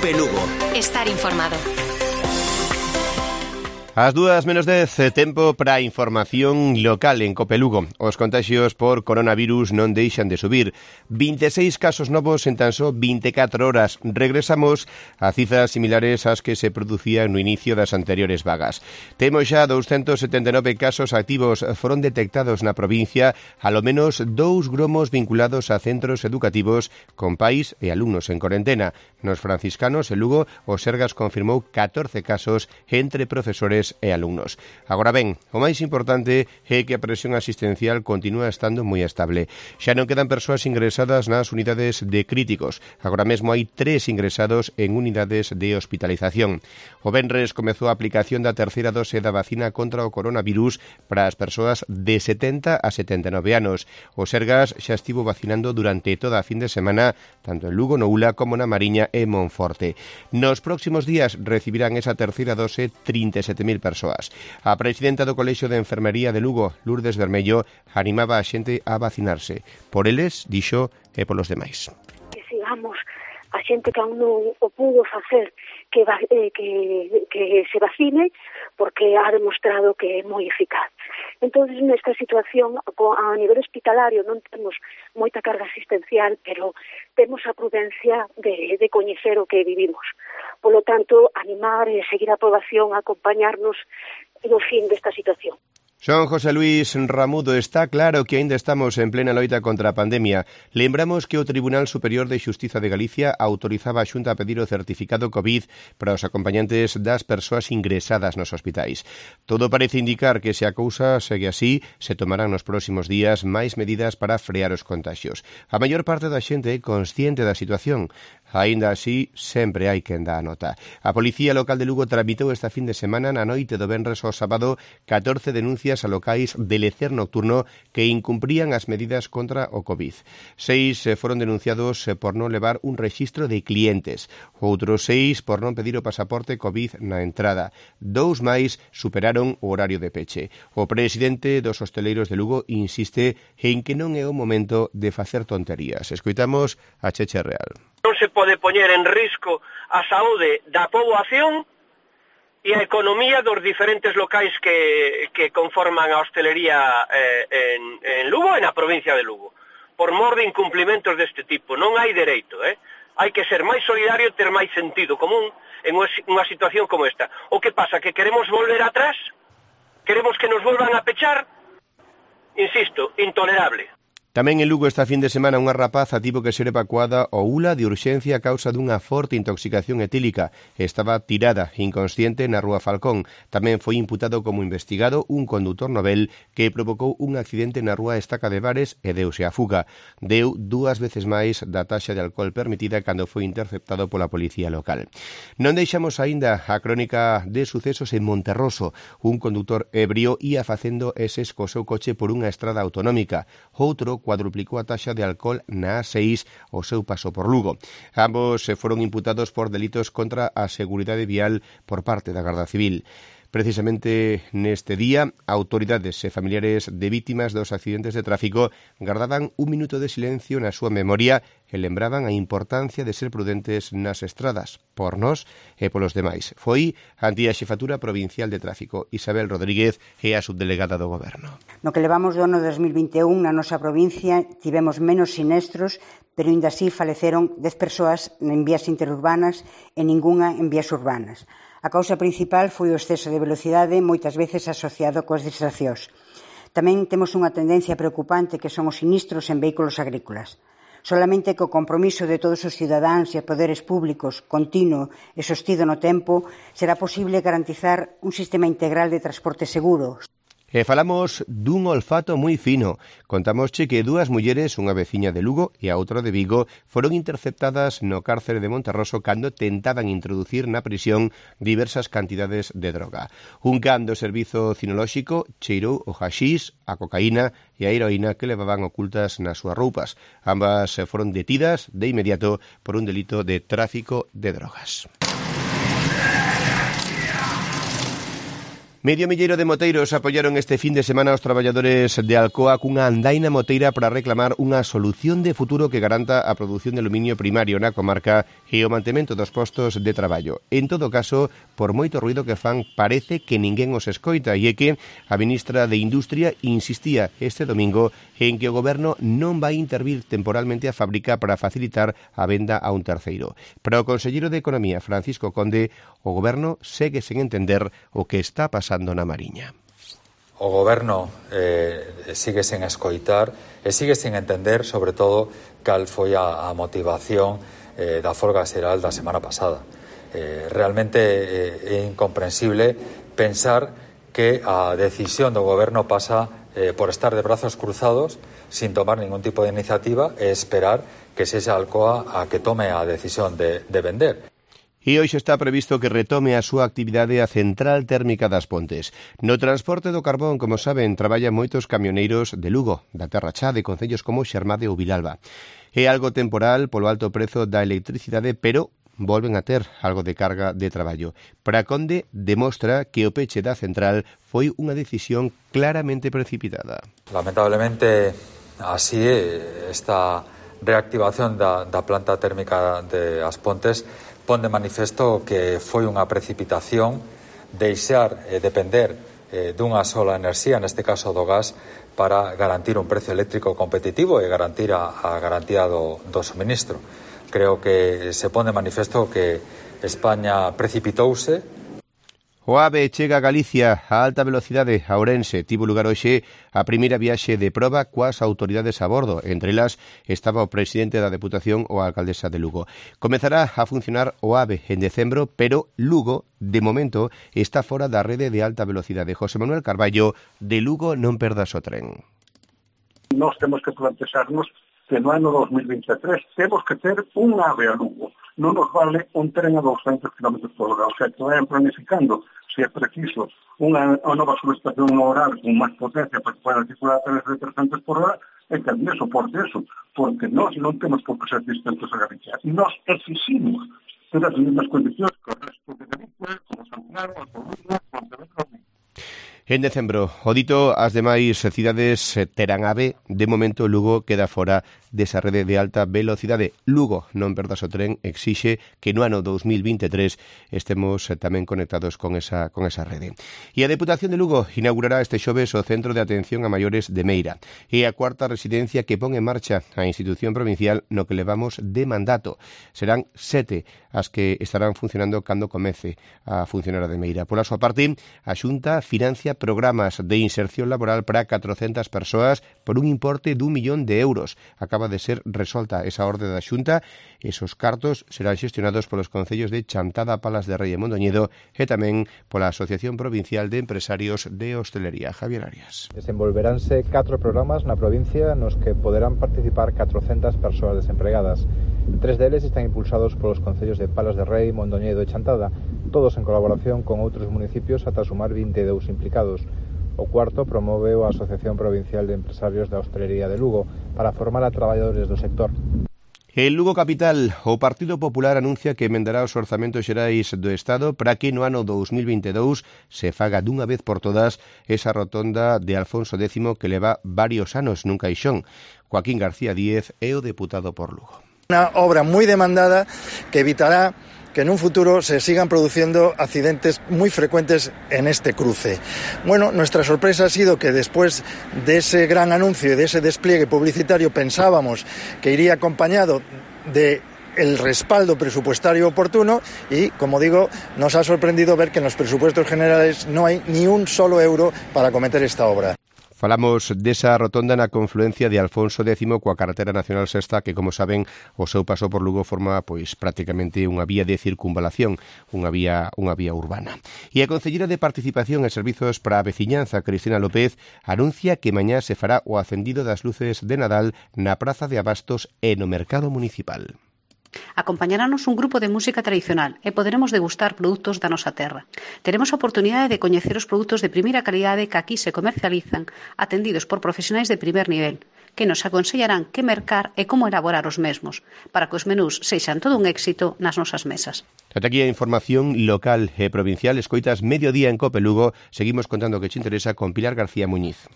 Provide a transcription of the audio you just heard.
Cope Lugo. Estar informado. As 2:10, tempo para a información local en Cope Lugo. Os contaxios por coronavirus non deixan de subir. 26 casos novos en tan só 24 horas. Regresamos a cifras similares ás que se producían no inicio das anteriores vagas. Temos xa 279 casos activos. Foron detectados na provincia alo menos 2 gromos vinculados a centros educativos con pais e alumnos en corentena. Nos franciscanos, en Lugo, o Sergas confirmou 14 casos entre profesores e alumnos. Agora ben, o máis importante é que a presión asistencial continúa estando moi estable. Xa non quedan persoas ingresadas nas unidades de críticos. Agora mesmo hai 3 ingresados en unidades de hospitalización. O venres comezou a aplicación da terceira dose da vacina contra o coronavirus para as persoas de 70 a 79 anos. O Sergas xa estivo vacinando durante toda a fin de semana, tanto en Lugo, no Ula, como na Mariña e Monforte. Nos próximos días recibirán esa terceira dose 37.000 persoas. A presidenta do Colexio de Enfermería de Lugo, Lourdes Bermello, animaba a xente a vacinarse. Por eles, dixo, e polos demais. Que sigamos a xente que aún non o pudo facer que se vacine, porque ha demostrado que é moi eficaz. Entón, nesta situación, a nivel hospitalario non temos moita carga asistencial, pero temos a prudencia de coñecer o que vivimos. Polo tanto, animar e seguir a aprobación, acompañarnos no fin desta situación. Son José Luis Ramudo. Está claro que aínda estamos en plena loita contra a pandemia. Lembramos que o Tribunal Superior de Xustiza de Galicia autorizaba a Xunta a pedir o certificado COVID para os acompañantes das persoas ingresadas nos hospitais. Todo parece indicar que se a cousa segue así, se tomarán nos próximos días máis medidas para frear os contaxios. A maior parte da xente é consciente da situación. Aínda así, sempre hai quen dá a nota. A Policía Local de Lugo tramitou esta fin de semana na noite do venres ao sábado 14 denuncias a locais de lecer nocturno que incumprían as medidas contra o COVID. 6 foron denunciados por non levar un rexistro de clientes. Outros 6 por non pedir o pasaporte COVID na entrada. 2 máis superaron o horario de peche. O presidente dos hosteleiros de Lugo insiste en que non é o momento de facer tonterías. Escoitamos a Cheche Real. Non se pode poñer en risco a saúde da poboación e a economía dos diferentes locais que conforman a hostelería en Lugo e na provincia de Lugo. Por mor de incumplimentos deste tipo. Non hai dereito, Hai que ser máis solidario e ter máis sentido común en unha situación como esta. O que pasa? Que queremos volver atrás? Queremos que nos volvan a pechar? Insisto, intolerable. Tamén en Lugo esta fin de semana unha rapaza tivo que ser evacuada ao Ula de urxencia a causa dunha forte intoxicación etílica. Estaba tirada, inconsciente, na Rúa Falcón. Tamén foi imputado como investigado un condutor novel que provocou un accidente na Rúa Estaca de Bares e deuse a fuga. Deu 2 veces máis da taxa de alcohol permitida cando foi interceptado pola policía local. Non deixamos aínda a crónica de sucesos en Monterroso. Un condutor ebrio ia facendo eses co seu coche por unha estrada autonómica. Outro cuadruplicou a taxa de alcohol na A6 o seu paso por Lugo. Ambos foron imputados por delitos contra a seguridade vial por parte da Garda Civil. Precisamente neste día, autoridades e familiares de vítimas dos accidentes de tráfico gardaban un minuto de silencio na súa memoria e lembraban a importancia de ser prudentes nas estradas, por nós e polos demais. Foi ante a Xefatura Provincial de Tráfico. Isabel Rodríguez é a subdelegada do Goberno. No que levamos do ano 2021, na nosa provincia tivemos menos sinestros, pero ainda así faleceron 10 persoas en vías interurbanas e ningunha en vías urbanas. A causa principal foi o exceso de velocidade, moitas veces asociado coas distraccións. Tamén temos unha tendencia preocupante que son os sinistros en vehículos agrícolas. Solamente co compromiso de todos os cidadáns e poderes públicos continuo e sostido no tempo será posible garantizar un sistema integral de transporte seguro. E falamos dun olfato moi fino. Contamosche que 2 mulleres, unha veciña de Lugo e a outra de Vigo, foron interceptadas no cárcere de Monterroso cando tentaban introducir na prisión diversas cantidades de droga. Un can do servizo cinolóxico cheirou o haxís, a cocaína e a heroína que levaban ocultas nas súas roupas. Ambas foron detidas de inmediato por un delito de tráfico de drogas. Medio milleiro de moteiros apoyaron este fin de semana aos traballadores de Alcoa cunha andaina moteira para reclamar unha solución de futuro que garanta a produción de aluminio primario na comarca e o mantemento dos postos de traballo. En todo caso, por moito ruido que fan, parece que ninguén os escoita e é que a ministra de Industria insistía este domingo en que o goberno non vai intervir temporalmente a fábrica para facilitar a venda a un terceiro. Para o conselleiro de Economía, Francisco Conde, o goberno segue sen entender o que está pasando na Mariña. O goberno sigue sen escoitar e sigue sen entender, sobre todo, cal foi a motivación da folga xeral da semana pasada. Realmente é incomprensible pensar que a decisión do goberno pasa por estar de brazos cruzados sin tomar ningún tipo de iniciativa e esperar que sexa Alcoa a que tome a decisión de vender. E hoxe está previsto que retome a súa actividade a Central Térmica das Pontes. No transporte do carbón, como saben, traballan moitos camioneiros de Lugo, da Terra Chá, de concellos como Xermade ou Vilalba. É algo temporal polo alto prezo da electricidade, pero volven a ter algo de carga de traballo. Para Conde demostra que o peche da central foi unha decisión claramente precipitada. Lamentablemente, así esta reactivación da planta térmica de As Pontes pon de manifesto que foi unha precipitación deixar depender dunha sola enerxía, neste caso do gas, para garantir un precio eléctrico competitivo e garantir a garantía do suministro. Creo que se pon de manifesto que España precipitouse. O AVE chega a Galicia a alta velocidade a Ourense. Tivo lugar hoxe a primeira viaxe de proba coas autoridades a bordo. Entre elas estaba o presidente da Deputación ou a alcaldesa de Lugo. Comezará a funcionar o AVE en decembro, pero Lugo, de momento, está fora da rede de alta velocidade. José Manuel Carballo, de Lugo non perdas o tren. Nós temos que plantexarnos que no ano 2023 temos que ter un AVE a Lugo. Non nos vale un tren a 200 km por hora. O sea, que vayan planificando, se é preciso, unha nova subestación no horario con máis potencia para que puedan circular a través de 300 por hora, e que tamén soporte eso, porque nós non temos por que ser distintos a Galicia. E nós exigimos ter as mesmas condicións que o resto de Galicia, como San Claro, a Coruña, Pontevedra. En decembro, o dito, as demais cidades terán AVE. De momento, Lugo queda fora desa rede de alta velocidade. Lugo, non perdas o tren, exixe que no ano 2023 estemos tamén conectados con esa rede. E a Deputación de Lugo inaugurará este xoves o Centro de Atención a Maiores de Meira. É a cuarta residencia que pon en marcha a institución provincial no que levamos de mandato. Serán 7 as que estarán funcionando cando comece a funcionar a de Meira. Pola súa parte, a Xunta financia programas de inserción laboral para 400 persoas por un importe de 1 millón de euros. Acaba de ser resolta esa orde da Xunta. Esos cartos serán xestionados polos concellos de Chantada, Palas de Rei e Mondoñedo e tamén pola Asociación Provincial de Empresarios de Hostelería. Javier Arias. Desenvolveránse 4 programas na provincia nos que poderán participar 400 persoas desempregadas. 3 deles están impulsados polos concellos de Palas de Rei, Mondoñedo e Chantada, todos en colaboración con outros municipios ata sumar 22 implicados. O cuarto promove a Asociación Provincial de Empresarios da Hostelería de Lugo para formar a traballadores do sector. En Lugo Capital, o Partido Popular anuncia que emendará os orzamentos xerais do Estado para que no ano 2022 se faga dunha vez por todas esa rotonda de Alfonso X que leva varios anos nun caixón. Joaquín García Díez é o deputado por Lugo. Una obra muy demandada que evitará que en un futuro se sigan produciendo accidentes muy frecuentes en este cruce. Bueno, nuestra sorpresa ha sido que después de ese gran anuncio y de ese despliegue publicitario pensábamos que iría acompañado de el respaldo presupuestario oportuno y, como digo, nos ha sorprendido ver que en los presupuestos generales no hay ni un solo euro para acometer esta obra. Falamos desa rotonda na confluencia de Alfonso X coa carretera nacional sexta que, como saben, o seu paso por Lugo forma prácticamente unha vía de circunvalación, unha vía urbana. E a concelleira de Participación e Servizos para a Veciñanza, Cristina López, anuncia que mañá se fará o acendido das luces de Nadal na Praza de Abastos e no Mercado Municipal. Acompañarános un grupo de música tradicional e poderemos degustar produtos da nosa terra. Teremos a oportunidade de coñecer os produtos de primeira calidade que aquí se comercializan, atendidos por profesionais de primer nivel. que nos aconsellarán que mercar e como elaborar os mesmos, para que os menús sexan todo un éxito nas nosas mesas. Ata aquí a información local e provincial. Escoitas Mediodía en Cope Lugo. Seguimos contando o que te interesa con Pilar García Muñiz.